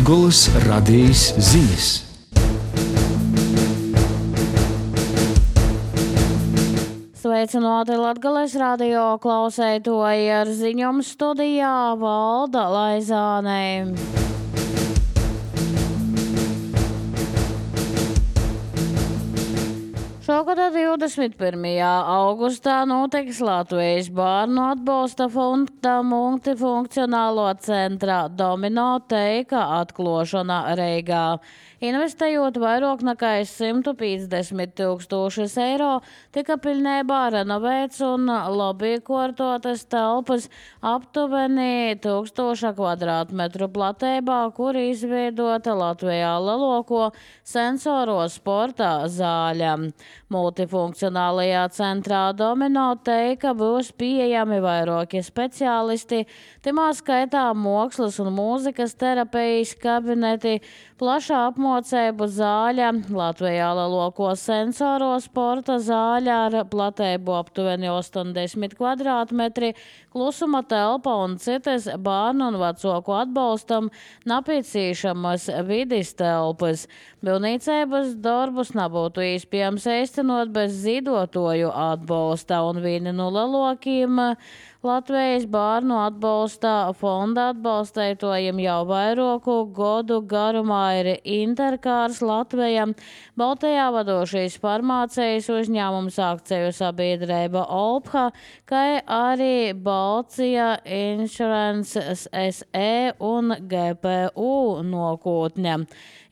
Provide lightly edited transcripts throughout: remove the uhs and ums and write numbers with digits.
Latgolas radijas ziņas. Sveicināti Latgales radio klausētoji, ar ziņām studijā Valda Laizāne. Šogad 21. augustā notiks Latvijas bērnu atbalsta fonda multifunkcionālo centra Domino teika atklāšana Reigā. Investējot vairāk nekā 150,000 eiro, tika pilnībā renovēts un labi kārtotas telpas aptuveni 1000 kvadrātmetru platībā, kur izveidota Latvijā lielāko sensoro sporta zāļa. Multifunkcionālajā centrā Domino teika būs pieejami vairāki speciālisti, timā skaitā mākslas un mūzikas terapijas kabineti, plašā apmācību zāļa, Latvijā lielāko sensoro sporta zāļa ar platēbu aptuveni 80 kvadrātmetri, klusuma telpa un citas bērnu un vecāku atbalstam nepieciešamas vides telpas. Būvniecības darbus nebūtu iespējams īstenot bez ziedotāju atbalsta, un viena no lielākajiem Latvijas bērnu atbalsta fonda atbalstītājiem jau vairāku gadu garumā ir Interkārs Latvija, Baltijā vadošais farmācijas uzņēmums akciju sabiedrība Olpha, kā arī Balcija Insurance SE un GPU nokūtņa.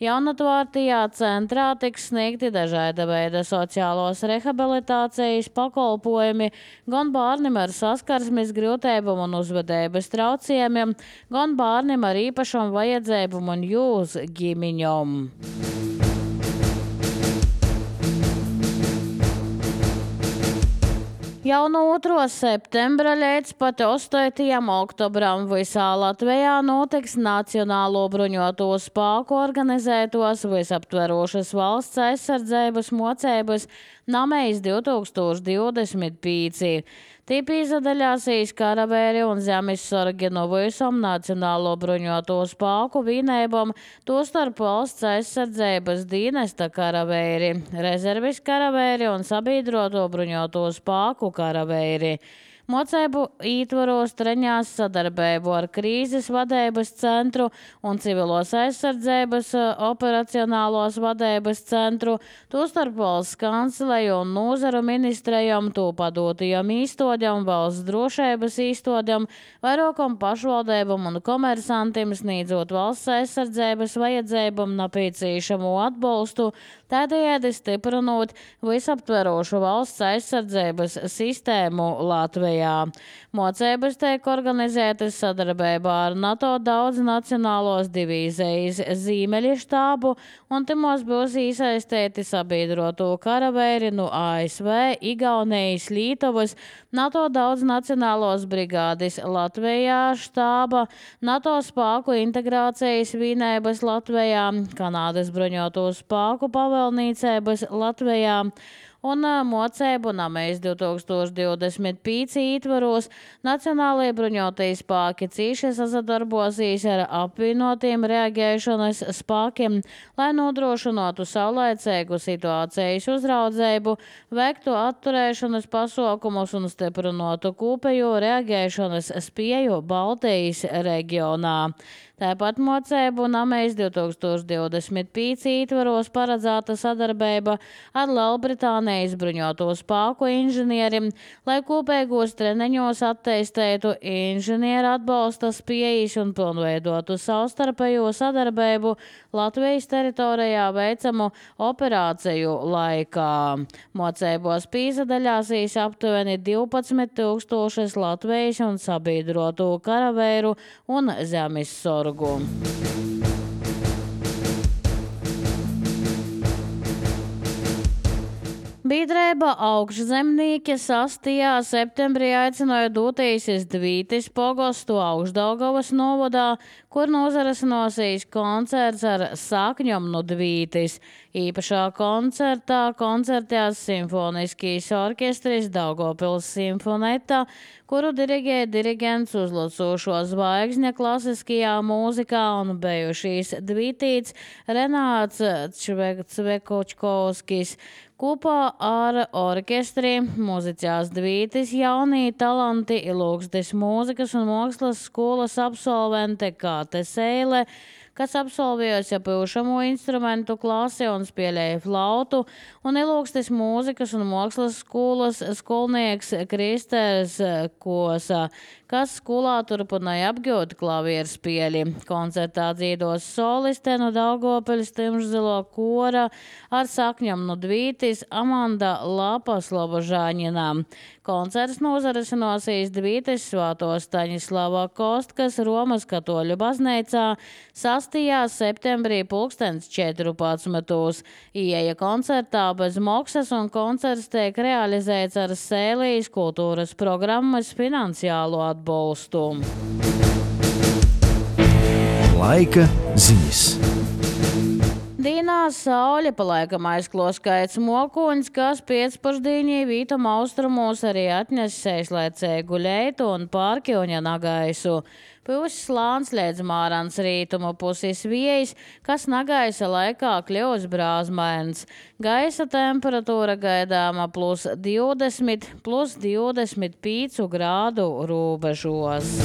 Jaunatvārtajā centrā tiks sniegti dažāda veida sociālos rehabilitācijas pakalpojumi gan bērniem ar saskarsmes grūtībām un uzvedības traucējumiem, gan bērniem ar īpašām vajadzībām un jūs ģimeņom. Jau no 2. septembra līdz pat 8. oktobram visā Latvijā notiks Nacionālo bruņoto spēku organizētos visaptverošas valsts aizsardzības mocības Namejs 2025. Tī piedalīsies karavēri un zemesargi no visām Nacionālo bruņoto spēku vienībām, tostarp valsts aizsardzības dienesta karavēri, rezervis karavēri un sabiedroto bruņoto spēku karavēri. Mocību ietvaros treņās sadarbību ar krīzes vadības centru un civilos aizsardzības operacionālos vadības centru, tostarp valsts kanceleju un nozaru ministrejam, to padotajam īstodam, valsts drošības īstodam, vairākam pašvaldībam un komersantiem sniedzot valsts aizsardzības vajadzībam nepieciešamo atbalstu, tādējādi stiprinot visaptverošu valsts aizsardzības sistēmu Latvijā. Mocības tiek organizētas sadarbībā ar NATO daudznacionālos divīzijas Ziemeļu štābu, un timos būs iesaistīti sabiedroto karavēri no ASV, Igaunijas, Lietuvas, NATO daudznacionālos brigādes Latvijā štāba, NATO spēku integrācijas vienības Latvijā, Kanādas bruņoto spēku pavēlniecības Latvijā, un mocību Namejs 2025 ietvaros Nacionālajie bruņotie spēki cīši sadarbosies ar apvienotiem reaģēšanas spēkiem, lai nodrošinātu saulaicīgu situācijas uzraudzību, veiktu atturēšanas pasākumus un stiprinātu kopējo reaģēšanas spēju Baltijas reģionā. Tāpat mocību Namejs 2025 ietvaros paredzēta sadarbība ar Lielbritānijas bruņoto spēku inženieriem, lai kopīgos treniņos attīstītu inženieru atbalsta spējas un pilnveidotu savstarpējo sadarbību Latvijas teritorijā veicamu operāciju laikā. Mocībos piedalīsies aptuveni 12,000 Latvijas un sabiedroto karavēru un zemesargu. Biedrība augšzemnieki 6. septembrī aicināja doties iz Dvītis pogostu Augšdaugavas novadā, kur nozarasinosies koncerts ar sakņom no Dvītis. Īpašā koncertā koncertējās simfoniskīs orķestris Daugavpils simfoneta, kuru dirigē dirigents uzlacošo zvaigzņa klasiskajā mūzikā un bijušīs Dvītīts Renāts Cvekočkovskis. Kopā ar orķestri muzicās Dvītis jaunie talanti Ilūgstes mūzikas un mākslas skolas absolvente Kāte Seile, kas absolvējusi pūšamo instrumentu klasi un spēlēja flautu, un Ilūgstes mūzikas un mākslas skolas skolnieks Kristers Kosa, kas skolā turpināja apgūt klavieru spēli. Koncertā dzīdos soliste no Daugavpils Timšzilo kora ar sakņam no Dvītis Amanda Lapaslobožāņinā. Koncerts nozarasinosies Dvītis Svāto Staņislava Kostkas Romas katoļu baznīcā 6. septembrī 14. Ieeja koncertā bez maksas un koncerts tiek realizēts ar Sēlijas kultūras programmas finansiālo atbalstu. Laika ziņas. Dīnā saule palaikam aizkloskaits mokuņs, kas pēcpašdīņī vītam austrumos arī atnes sēžlaicēgu leitu un pārkļuņa nagaisu. Puses slāns līdz mārans rītumu puses viejas, kas nagaisa laikā kļūs brāzmains. Gaisa temperatūra gaidāma +20, +25 grādu rūbežos.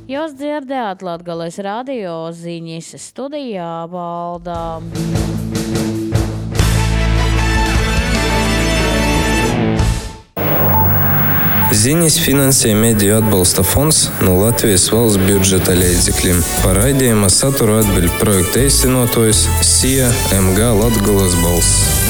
Jūs dzirdējāt Latgales radio ziņas, studijā Valdā. Ziņas finansē Mediju atbalsta fonds no Latvijas valsts budžeta līdzekļiem. Par raidījuma saturu atbild projekta īstenotājs SIA MG Latgales balss.